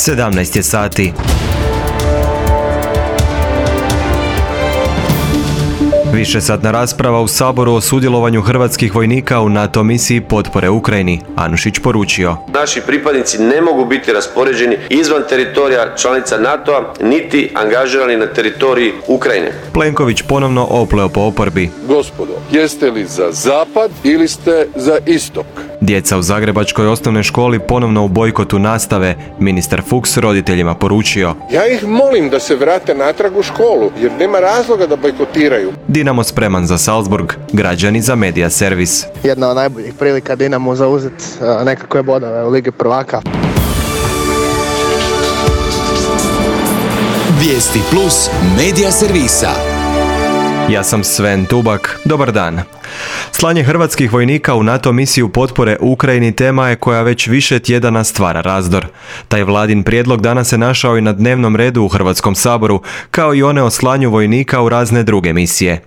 17 je sati. Višesatna rasprava u Saboru o sudjelovanju hrvatskih vojnika u NATO misiji potpore Ukrajini. Anušić poručio: naši pripadnici ne mogu biti raspoređeni izvan teritorija članica NATO-a, niti angažirani na teritoriji Ukrajine. Plenković ponovno opleo po oporbi: gospodo, jeste li za zapad ili ste za istok? Djeca u zagrebačkoj osnovnoj školi ponovno u bojkotu nastave. Ministar Fuchs roditeljima poručio: ja ih molim da se vrate natrag u školu, jer nema razloga da bojkotiraju. Dinamo spreman za Salzburg, građani za Media servis. Jedna od najboljih prilika Dinamo zauzeti nekakve bodove u Ligi prvaka. Vijesti plus Media servisa. Ja sam Sven Tubak, dobar dan. Slanje hrvatskih vojnika u NATO misiju potpore Ukrajini tema je koja već više tjedana stvara razdor. Taj vladin prijedlog danas se našao i na dnevnom redu u Hrvatskom saboru, kao i one o slanju vojnika u razne druge misije.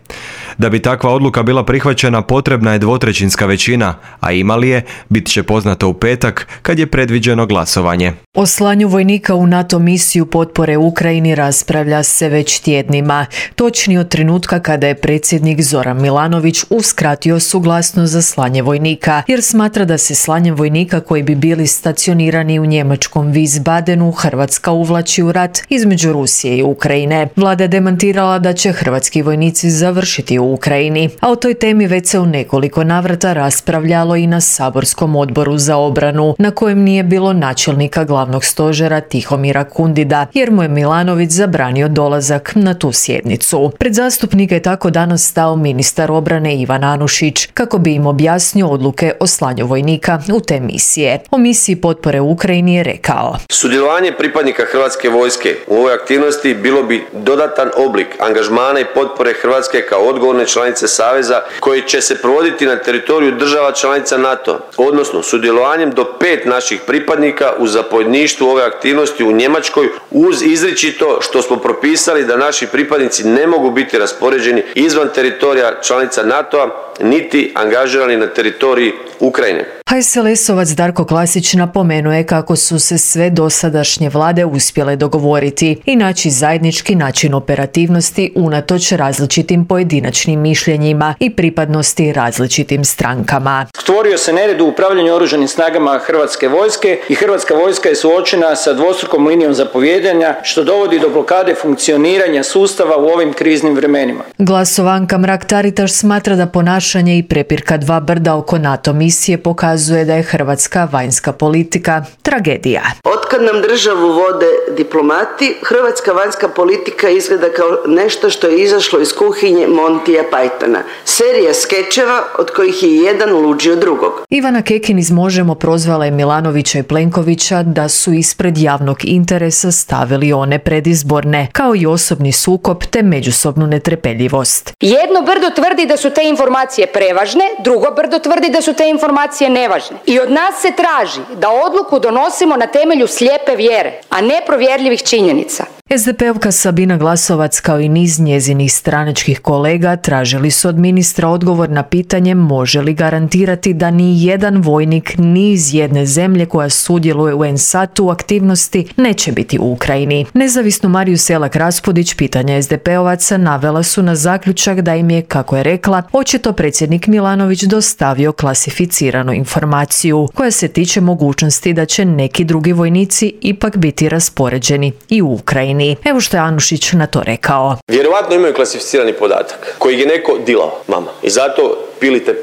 Da bi takva odluka bila prihvaćena, potrebna je dvotrećinska većina, a ima li je, bit će poznato u petak, kad je predviđeno glasovanje. O slanju vojnika u NATO misiju potpore Ukrajini raspravlja se već tjednima. Točnije od trenutka kada je predsjednik Zoran Milanović uskratio suglasnost za slanje vojnika, jer smatra da se slanjem vojnika koji bi bili stacionirani u njemačkom Wiesbadenu Hrvatska uvlači u rat između Rusije i Ukrajine. Vlada je demantirala da će hrvatski vojnici završiti u Ukrajini, a o toj temi već se u nekoliko navrata raspravljalo i na saborskom odboru za obranu, na kojem nije bilo načelnika glavnog stožera Tihomira Kundida, jer mu je Milanović zabranio dolazak na tu sjednicu. Pred zastupnike je tako danas stao ministar obrane Ivan Anušić, kako bi im objasnio odluke o slanju vojnika u te misije. O misiji potpore Ukrajini je rekao: sudjelovanje pripadnika Hrvatske vojske u ovoj aktivnosti bilo bi dodatan oblik angažmana i potpore Hrvatske kao odgovorne članice Saveza koji će se provoditi na teritoriju država članica NATO, odnosno sudjelovanjem do 5 naših pripadnika u zapovjedništvu ove aktivnosti u Njemačkoj, uz izričito što smo propisali da naši pripadnici ne mogu biti raspoređeni izvan teritorija članica NATO-a, niti angažirani na teritoriji Ukrajine. HSLS-ovac Darko Klasić napomenuo je kako su se sve dosadašnje vlade uspjele dogovoriti i naći zajednički način operativnosti unatoč različitim pojedinačnim mišljenjima i pripadnosti različitim strankama. Stvorio se nered u upravljanju oružanim snagama Hrvatske vojske i Hrvatska vojska je suočena sa dvostrukom linijom zapovijedanja, što dovodi do blokade funkcioniranja sustava u ovim kriznim vremenima. Glasovanka Mrak-Taritaš smatra da ponašanje i prepirka dva brda oko NATO misije pokazuje da je hrvatska vanjska politika tragedija. Otkad nam državu vode diplomati, hrvatska vanjska politika izgleda kao nešto što je izašlo iz kuhinje Montija Pythona. Serija skečeva od kojih je jedan luđi od drugog. Ivana Kekin iz Možemo prozvala je Milanovića i Plenkovića da su ispred javnog interesa stavili one predizborne, kao i osobni sukob te međusobnu netrpeljivost. Jedno brdo tvrdi da su te informacije prevažne, drugo brdo tvrdi da su te informacije nevažne. I od nas se traži da odluku donosimo na temelju slijepe vjere, a ne provjerljivih činjenica. SDP-ovka Sabina Glasovac kao i niz njezinih stranačkih kolega tražili su od ministra odgovor na pitanje može li garantirati da ni jedan vojnik ni iz jedne zemlje koja sudjeluje u NSAT-u aktivnosti neće biti u Ukrajini. Nezavisnu Mariju Selak-Raspudić pitanja SDP-ovaca navela su na zaključak da im je, kako je rekla, očito predsjednik Milanović dostavio klasificiranu informaciju koja se tiče mogućnosti da će neki drugi vojnici ipak biti raspoređeni i u Ukrajini. Evo što je Anušić na to rekao. Vjerovatno imaju klasificirani podatak koji je neko dilao, mama. I zato pilite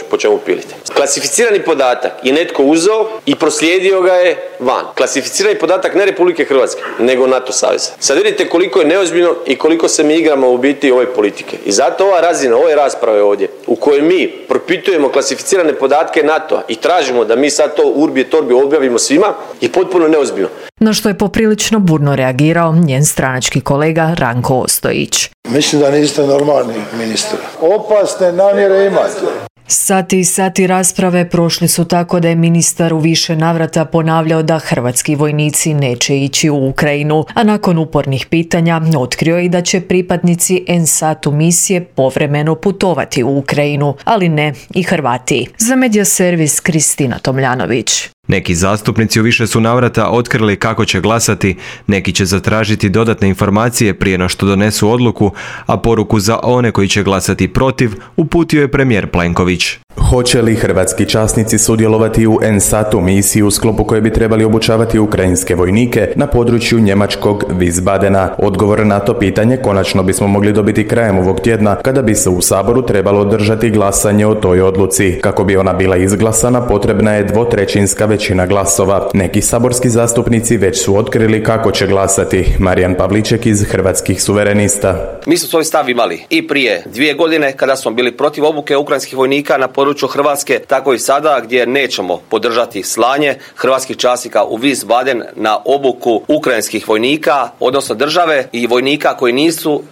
po čemu pilite. Klasificirani podatak je netko uzeo i proslijedio ga je van. Klasificirani podatak ne Republike Hrvatske, nego NATO saveza. Sad vidite koliko je neozbiljno i koliko se mi igramo u biti ove politike. I zato ova razina, ove rasprave ovdje, u kojoj mi propitujemo klasificirane podatke NATO-a i tražimo da mi sad to urbi et orbi objavimo svima, je potpuno neozbiljno. Na što je poprilično burno reagirao njen stranački kolega Ranko Ostojić. Mislim da niste normalni, ministre. Opasne namjere imate. Sati i sati rasprave prošli su tako da je ministar u više navrata ponavljao da hrvatski vojnici neće ići u Ukrajinu, a nakon upornih pitanja otkrio je i da će pripadnici NSAT-u misije povremeno putovati u Ukrajinu, ali ne i Hrvati. Za Media servis Kristina Tomljanović. Neki zastupnici u više su navrata otkrili kako će glasati, neki će zatražiti dodatne informacije prije no što donesu odluku, a poruku za one koji će glasati protiv uputio je premijer Plenković. Hoće li hrvatski časnici sudjelovati u NSAT-u misiji u sklopu koje bi trebali obučavati ukrajinske vojnike na području njemačkog Wiesbadena? Odgovor na to pitanje konačno bismo mogli dobiti krajem ovog tjedna, kada bi se u Saboru trebalo održati glasanje o toj odluci. Kako bi ona bila izglasana, potrebna je 2/3 većina glasova. Neki saborski zastupnici već su otkrili kako će glasati. Marijan Pavliček iz Hrvatskih suverenista. Mi smo svoj stav imali i prije 2 godine kada smo bili protiv obuke ukrajinskih vojnika na području Hrvatske, tako i sada gdje nećemo podržati slanje hrvatskih časnika u Wiesbaden na obuku ukrajinskih vojnika, odnosno države i vojnika koji nisu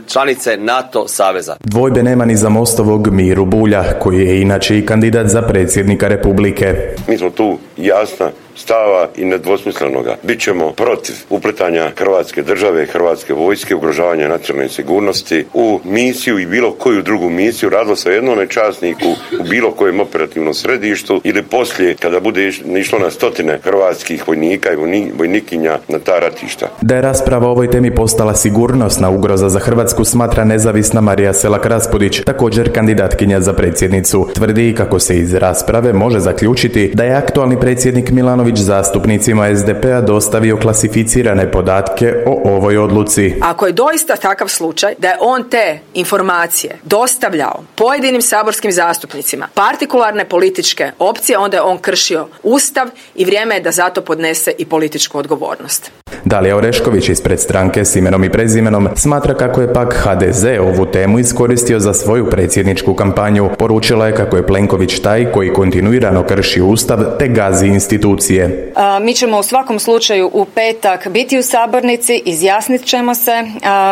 članice NATO saveza. Dvojbe nema ni za Mostovog Miru Bulja, koji je inače i kandidat za predsjednika Republike. Mi smo tu jasna stava i nedvosmislenoga. Bićemo protiv upletanja Hrvatske države, Hrvatske vojske, ugrožavanja nacionalne sigurnosti u misiju i bilo koju drugu misiju, radilo se o jednome časniku u bilo kojem operativnom središtu ili poslije kada bude išlo na stotine hrvatskih vojnika i vojnikinja na ta ratišta. Da je rasprava o ovoj temi postala sigurnosna ugroza za Hrvatsku, smatra nezavisna Marija Selak Raspudić, također kandidatkinja za predsjednicu. Tvrdi kako se iz rasprave može zaključiti da je aktualni predsjednik Milanović zastupnicima SDP-a dostavio klasificirane podatke o ovoj odluci. Ako je doista takav slučaj da je on te informacije dostavljao pojedinim saborskim zastupnicima partikularne političke opcije, onda je on kršio Ustav i vrijeme je da zato podnese i političku odgovornost. Dalija Orešković ispred stranke S imenom i prezimenom smatra kako je pak HDZ ovu temu iskoristio za svoju predsjedničku kampanju. Poručila je kako je Plenković taj koji kontinuirano krši Ustav te gazi institucije. Mi ćemo u svakom slučaju u petak biti u sabornici, izjasnit ćemo se,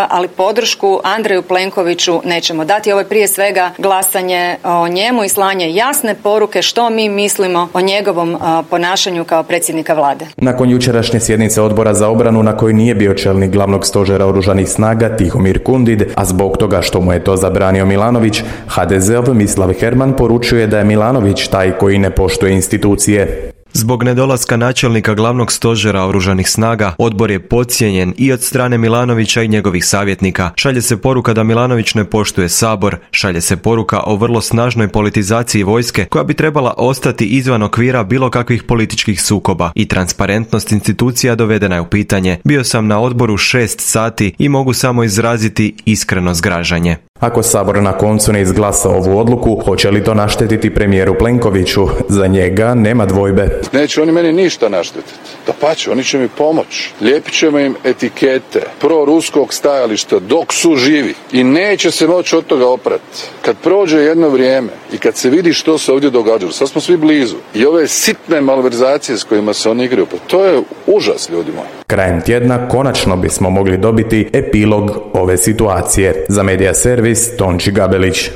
ali podršku Andreju Plenkoviću nećemo dati. Ovo je prije svega glasanje o njemu i slanje jasne poruke što mi mislimo o njegovom ponašanju kao predsjednika vlade. Nakon jučerašnje sjednice Odbora za obranu na kojoj nije bio čelnik glavnog stožera oružanih snaga Tihomir Kundid, a zbog toga što mu je to zabranio Milanović, HDZ-ov Mislav Herman poručuje da je Milanović taj koji ne poštuje institucije. Zbog nedolaska načelnika glavnog stožera oružanih snaga, odbor je podcijenjen i od strane Milanovića i njegovih savjetnika. Šalje se poruka da Milanović ne poštuje Sabor, šalje se poruka o vrlo snažnoj politizaciji vojske koja bi trebala ostati izvan okvira bilo kakvih političkih sukoba i transparentnost institucija dovedena je u pitanje. Bio sam na odboru 6 sati i mogu samo izraziti iskreno zgražanje. Ako Sabor na koncu ne izglasa ovu odluku, hoće li to naštetiti premijeru Plenkoviću? Za njega nema dvojbe. Neće oni meni ništa naštetiti. Dapače, oni će mi pomoći. Lijepit ćemo im etikete proruskog stajališta dok su živi. I neće se moći od toga oprati. Kad prođe jedno vrijeme i kad se vidi što se ovdje događalo, sad smo svi blizu. I ove sitne malverzacije s kojima se oni igraju, pa to je užas, ljudi moji. Krajem tjedna konačno bismo mogli dobiti epilog ove situacije. Za Medija Servis, Tonči Gabelić.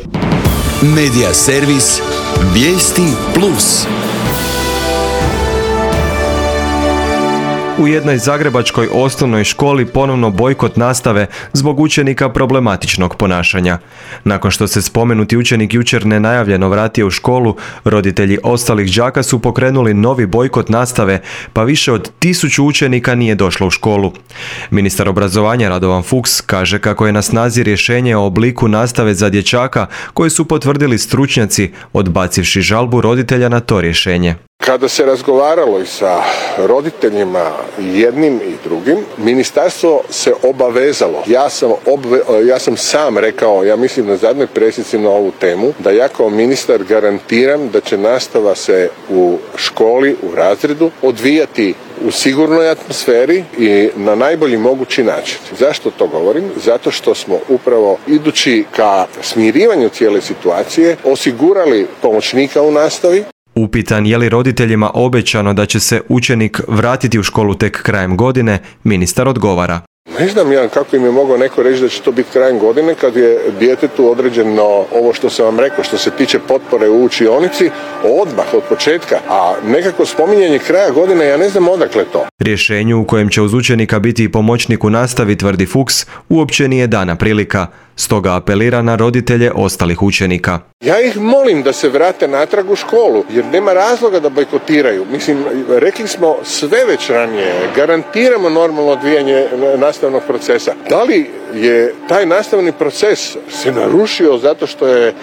Medija Servis, vijesti plus. U jednoj zagrebačkoj osnovnoj školi ponovno bojkot nastave zbog učenika problematičnog ponašanja. Nakon što se spomenuti učenik jučer nenajavljeno vratio u školu, roditelji ostalih đaka su pokrenuli novi bojkot nastave, pa više od 1000 učenika nije došlo u školu. Ministar obrazovanja Radovan Fuchs kaže kako je na snazi rješenje o obliku nastave za dječaka koje su potvrdili stručnjaci, odbacivši žalbu roditelja na to rješenje. Kada se razgovaralo i sa roditeljima jednim i drugim, ministarstvo se obavezalo. Ja sam sam rekao, ja mislim na zadnjoj presici na ovu temu, da ja kao ministar garantiram da će nastava se u školi, u razredu odvijati u sigurnoj atmosferi i na najbolji mogući način. Zašto to govorim? Zato što smo upravo idući ka smirivanju cijele situacije osigurali pomoćnika u nastavi. Upitan je li roditeljima obećano da će se učenik vratiti u školu tek krajem godine, ministar odgovara. Ne znam ja kako im je mogao neko reći da će to biti krajem godine kad je djetetu određeno ovo što sam vam rekao, što se tiče potpore u učionici, odmah od početka, a nekako spominjanje kraja godine, ja ne znam odakle to. Rješenju u kojem će uz učenika biti i pomoćnik u nastavi, tvrdi Fuchs, uopće nije dana prilika. Stoga apelira na roditelje ostalih učenika. Ja ih molim da se vrate natrag u školu, jer nema razloga da bojkotiraju. Mislim, rekli smo sve već ranije, garantiramo normalno odvijanje nastavnog procesa. Da li je taj nastavni proces se narušio zato što je,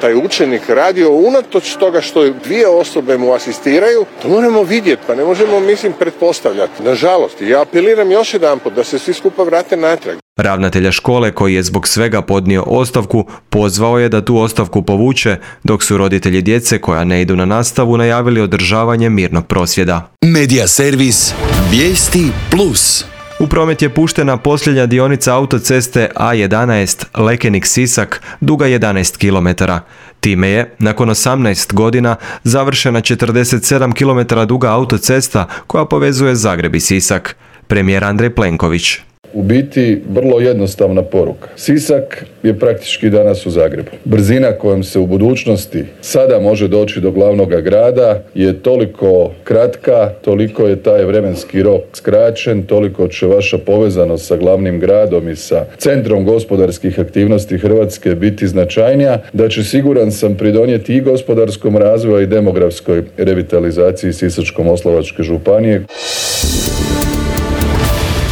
taj učenik radio unatoč toga što 2 osobe mu asistiraju, to moramo vidjeti, pa ne možemo, pretpostavljati. Nažalost, ja apeliram još jedanput da se svi skupa vrate natrag. Ravnatelja škole, koji je zbog svega podnio ostavku, pozvao je da tu ostavku povuče, dok su roditelji djece koja ne idu na nastavu najavili održavanje mirnog prosvjeda. Medija servis Vijesti Plus. U promet je puštena posljednja dionica autoceste A11 Lekenik-Sisak, duga 11 km. Time je, nakon 18 godina, završena 47 km duga autocesta koja povezuje Zagreb i Sisak. Premijer Andrej Plenković. U biti vrlo jednostavna poruka. Sisak je praktički danas u Zagrebu. Brzina kojom se u budućnosti sada može doći do glavnog grada je toliko kratka, toliko je taj vremenski rok skraćen, toliko će vaša povezanost sa glavnim gradom i sa centrom gospodarskih aktivnosti Hrvatske biti značajnija, da će, siguran sam, pridonijeti i gospodarskom razvoju i demografskoj revitalizaciji Sisačko-moslavačke županije.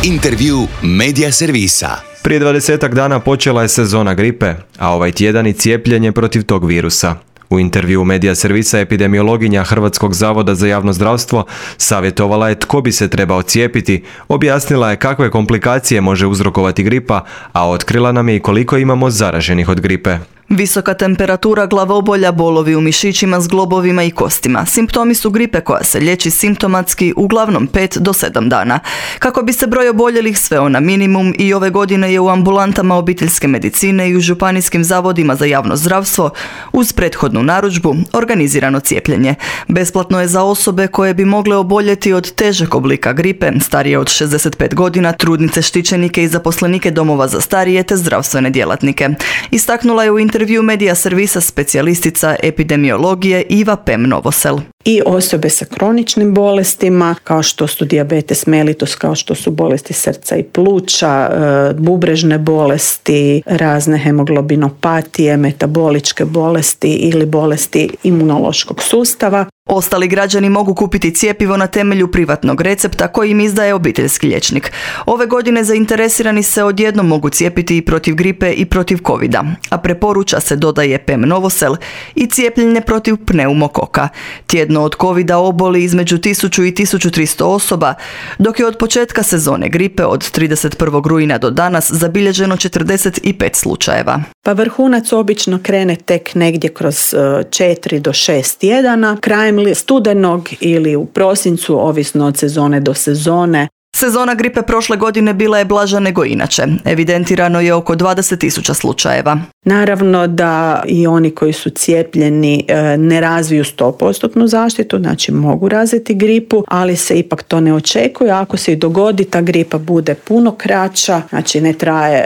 Intervju Medija servisa. Prije 20 dana počela je sezona gripe, a ovaj tjedan i cijepljenje protiv tog virusa. U intervju Medija servisa epidemiologinja Hrvatskog zavoda za javno zdravstvo savjetovala je tko bi se trebao cijepiti, objasnila je kakve komplikacije može uzrokovati gripa, a otkrila nam je i koliko imamo zaraženih od gripe. Visoka temperatura, glavobolja, bolovi u mišićima, zglobovima i kostima. Simptomi su gripe koja se liječi simptomatski uglavnom 5 do 7 dana. Kako bi se broj oboljelih sveo na minimum, i ove godine je u ambulantama obiteljske medicine i u županijskim zavodima za javno zdravstvo uz prethodnu narudžbu organizirano cijepljenje. Besplatno je za osobe koje bi mogle oboljeti od težeg oblika gripe, starije od 65 godina, trudnice, štićenike i zaposlenike domova za starije te zdravstvene djelatnike. Istaknula je u intervju Medija servisa specijalistica epidemiologije Iva Pem-Novosel. I osobe sa kroničnim bolestima, kao što su dijabetes mellitus, kao što su bolesti srca i pluća, bubrežne bolesti, razne hemoglobinopatije, metaboličke bolesti ili bolesti imunološkog sustava. Ostali građani mogu kupiti cjepivo na temelju privatnog recepta koji im izdaje obiteljski liječnik. Ove godine zainteresirani se odjednom mogu cijepiti i protiv gripe i protiv covida, a preporuča se, dodaje Pem-Novosel, i cijepljenje protiv pneumokoka. Tjedno od covida oboli između 1000 i 1300 osoba, dok je od početka sezone gripe od 31. rujna do danas zabilježeno 45 slučajeva. Pa vrhunac obično krene tek negdje kroz 4 do 6 tjedana, krajem studenog ili u prosincu, ovisno od sezone do sezone. Sezona gripe prošle godine bila je blaža nego inače. Evidentirano je oko 20.000 slučajeva. Naravno da i oni koji su cijepljeni ne razviju 100% zaštitu, znači mogu razviti gripu, ali se ipak to ne očekuje. Ako se i dogodi, ta gripa bude puno kraća, znači ne traje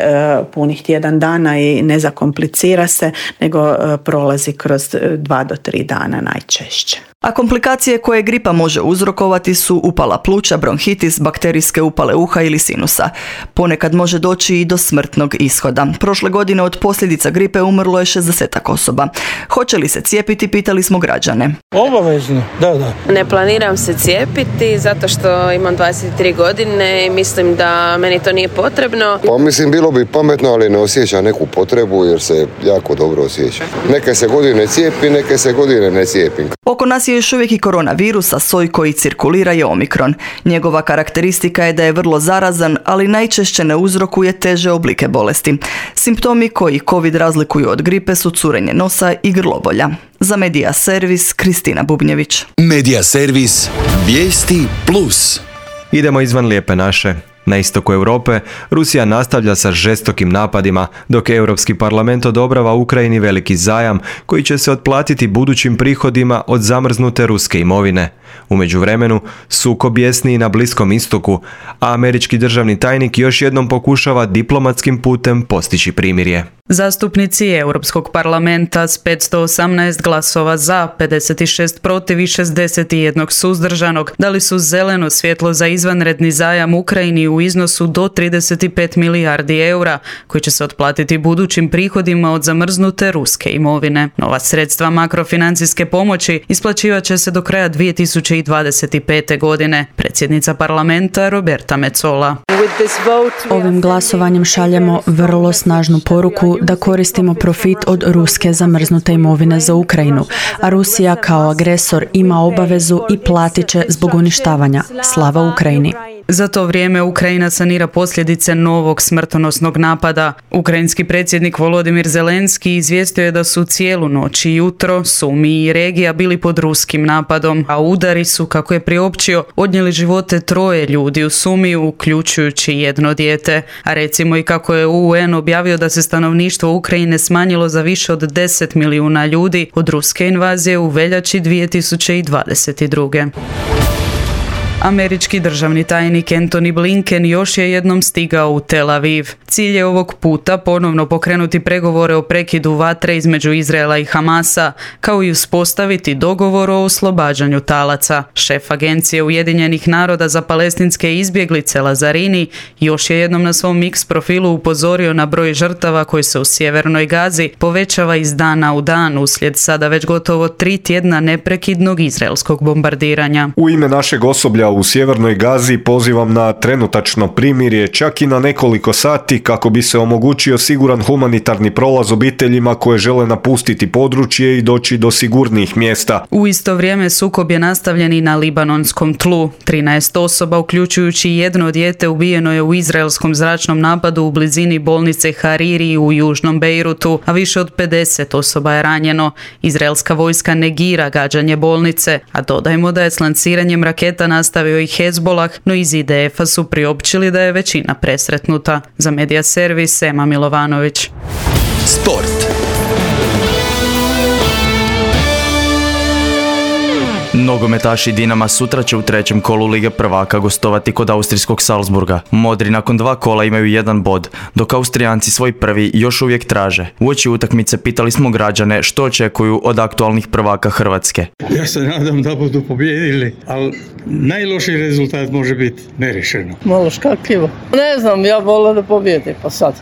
punih tjedan dana i ne zakomplicira se, nego prolazi kroz 2 do 3 dana najčešće. A komplikacije koje gripa može uzrokovati su upala pluća, bronhitis, bakterijske upale uha ili sinusa. Ponekad može doći i do smrtnog ishoda. Prošle godine od posljedica gripe umrlo je 60 osoba. Hoće li se cijepiti, pitali smo građane. Obavezno, da. Ne planiram se cijepiti zato što imam 23 godine i mislim da meni to nije potrebno. Pa mislim, bilo bi pametno, ali ne osjećam neku potrebu jer se jako dobro osjećam. Neke se godine cijepi, neke se godine ne cijepim. Oko nas je još uvijek i koronavirus, a soj koji cirkulira je Omikron. Njegova karakteristika je da je vrlo zarazan, ali najčešće ne uzrokuje teže oblike bolesti. Simptomi koji COVID razlikuju od gripe su curenje nosa i grlobolja. Za Medija servis, Kristina Bubnjević. Medija servis Vijesti Plus. Idemo izvan Lijepe naše. Na istoku Europe, Rusija nastavlja sa žestokim napadima, dok Europski parlament odobrava Ukrajini veliki zajam koji će se otplatiti budućim prihodima od zamrznute ruske imovine. U međuvremenu, sukob bjesni i na Bliskom istoku, a američki državni tajnik još jednom pokušava diplomatskim putem postići primirje. Zastupnici Europskog parlamenta s 518 glasova za, 56 protiv i 61 suzdržanog dali su zeleno svjetlo za izvanredni zajam Ukrajini u u iznosu do 35 milijardi eura, koji će se otplatiti budućim prihodima od zamrznute ruske imovine. Nova sredstva makrofinancijske pomoći isplaćivat će se do kraja 2025. godine. Predsjednica parlamenta Roberta Metsola. Ovim glasovanjem šaljemo vrlo snažnu poruku da koristimo profit od ruske zamrznute imovine za Ukrajinu, a Rusija kao agresor ima obavezu i platit će zbog uništavanja. Slava Ukrajini! Za to vrijeme Ukrajina sanira posljedice novog smrtonosnog napada. Ukrajinski predsjednik Volodimir Zelenski izvijestio je da su cijelu noć i jutro Sumi i regija bili pod ruskim napadom, a udari su, kako je priopćio, odnijeli živote 3 ljudi u Sumiju, uključujući 1 dijete. A recimo i kako je UN objavio da se stanovništvo Ukrajine smanjilo za više od 10 milijuna ljudi od ruske invazije u veljači 2022. Američki državni tajnik Antony Blinken još je jednom stigao u Tel Aviv. Cilj je ovog puta ponovno pokrenuti pregovore o prekidu vatre između Izraela i Hamasa, kao i uspostaviti dogovor o oslobađanju talaca. Šef Agencije Ujedinjenih naroda za palestinske izbjeglice Lazarini još je jednom na svom X profilu upozorio na broj žrtava koji se u sjevernoj Gazi povećava iz dana u dan uslijed sada već gotovo 3 tjedna neprekidnog izraelskog bombardiranja. U ime našeg osoblja u sjevernoj Gazi pozivam na trenutačno primirje, čak i na nekoliko sati, kako bi se omogućio siguran humanitarni prolaz obiteljima koje žele napustiti područje i doći do sigurnijih mjesta. U isto vrijeme sukob je nastavljen i na libanonskom tlu. 13 osoba, uključujući 1 dijete, ubijeno je u izraelskom zračnom napadu u blizini bolnice Hariri u južnom Bejrutu, a više od 50 osoba je ranjeno. Izraelska vojska negira gađanje bolnice, a dodajmo da je s lanciranjem raketa nastavio i Hezbolah, no iz IDF-a su priopćili da je većina presretnuta. Za Medija servis Ema Milovanović. Sport. Nogometaši Dinama sutra će u 3. kolu Lige prvaka gostovati kod austrijskog Salzburga. Modri nakon 2 kola imaju 1 bod, dok Austrijanci svoj prvi još uvijek traže. Uoči utakmice pitali smo građane što očekuju od aktualnih prvaka Hrvatske. Ja se nadam da budu pobijedili, ali najlošiji rezultat može biti nerešeno. Malo škakljivo. Ne znam, ja volio da pobijedi, pa sad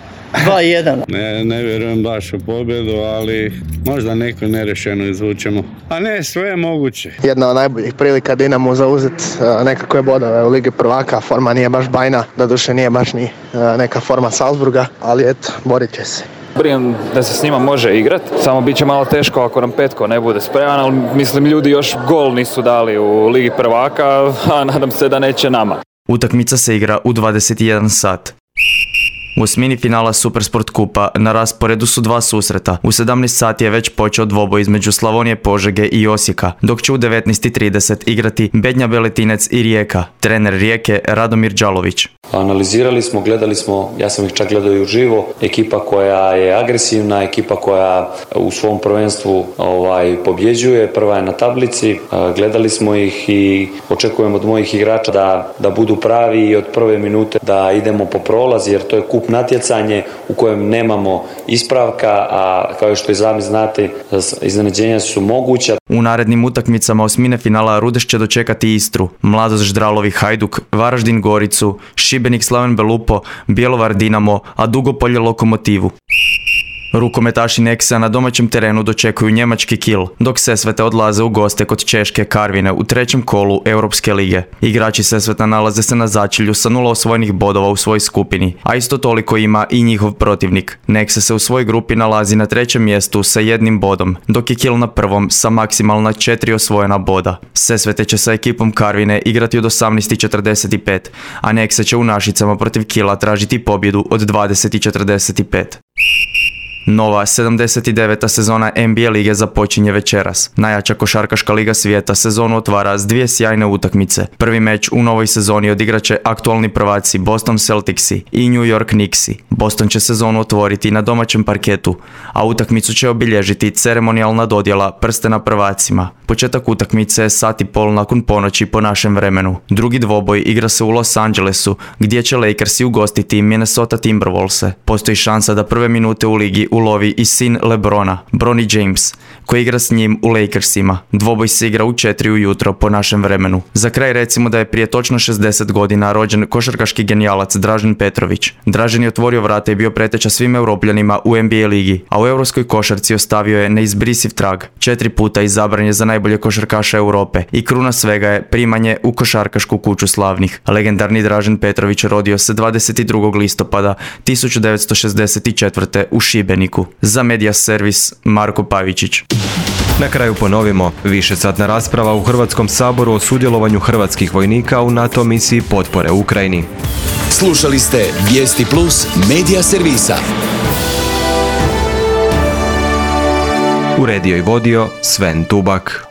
2-1. Ne vjerujem baš u pobjedu, ali možda neko nerešeno izvučemo. A ne, sve je moguće. Jedna od najboljih prilika Dinamo zauzeti nekakve bodove u Ligi prvaka. Forma nije baš bajna, doduše nije baš ni neka forma Salzburga, ali eto, borit će se. Brijem da se s njima može igrati, samo bit će malo teško ako nam Petko ne bude spreman, ali mislim ljudi još gol nisu dali u Ligi prvaka, a nadam se da neće nama. Utakmica se igra u 21 sat. U osmini finala Supersport kupa na rasporedu su 2 susreta. U 17 sati je već počeo dvoboj između Slavonije, Požege i Osijeka, dok će u 19:30 igrati Bednja Beletinec i Rijeka. Trener Rijeke Radomir Đalović. Analizirali smo, gledali smo, ja sam ih čak gledao i uživo, ekipa koja je agresivna, ekipa koja u svom prvenstvu pobjeđuje, prva je na tablici, gledali smo ih i očekujemo od mojih igrača da budu pravi i od prve minute da idemo po prolaz, jer to je kup natjecanje u kojem nemamo ispravka, a kao što i sami znate, iznenađenja su moguća. U narednim utakmicama osmine finala Rudeš će dočekati Istru, Mladost Ždralovi Hajduk, Varaždin Goricu, Šibenik Slaven Belupo, Bjelovar Dinamo, a Dugopolje Lokomotivu. Rukometaši Nexa na domaćem terenu dočekuju njemački Kiel, dok Sesvete odlaze u goste kod češke Karvine u 3. kolu Europske lige. Igrači Sesveta nalaze se na začelju sa 0 osvojenih bodova u svojoj skupini, a isto toliko ima i njihov protivnik. Nexa se u svojoj grupi nalazi na 3. mjestu sa 1 bodom, dok je Kiel na 1. sa maksimalna 4 osvojena boda. Sesvete će sa ekipom Karvine igrati od 18:45, a Nexa će u Našicama protiv Kiela tražiti pobjedu od 20:45. Nova 79. sezona NBA lige započinje večeras. Najjača košarkaška liga svijeta sezonu otvara s 2 sjajne utakmice. Prvi meč u novoj sezoni odigraće aktualni prvaci Boston Celticsi i New York Knicksi. Boston će sezonu otvoriti na domaćem parketu, a utakmicu će obilježiti ceremonijalna dodjela prstena prvacima. Početak utakmice je 1:30 nakon ponoći po našem vremenu. Drugi dvoboj igra se u Los Angelesu, gdje će Lakersi ugostiti Minnesota Timberwolvese. Postoji šansa da prve minute u ligi ulovi i sin LeBrona, Bronny James, koji igra s njim u Lakersima. Dvoboj se igra u 4 ujutro po našem vremenu. Za kraj recimo da je prije točno 60 godina rođen košarkaški genijalac Dražen Petrović. Dražen je otvorio vrata i bio preteča svim Europljanima u NBA ligi, a u europskoj košarci ostavio je neizbrisiv trag. 4 puta izabran je za najbolje košarkaša Europe i kruna svega je primanje u košarkašku kuću slavnih. Legendarni Dražen Petrović rodio se 22. listopada 1964. u Šibeniku. Za Media Servis Marko Pavičić. Na kraju ponovimo, višesatna rasprava u Hrvatskom saboru o sudjelovanju hrvatskih vojnika u NATO misiji potpore Ukrajini. Slušali ste Vijesti Plus Media Servisa. Uredio i vodio Sven Tubak.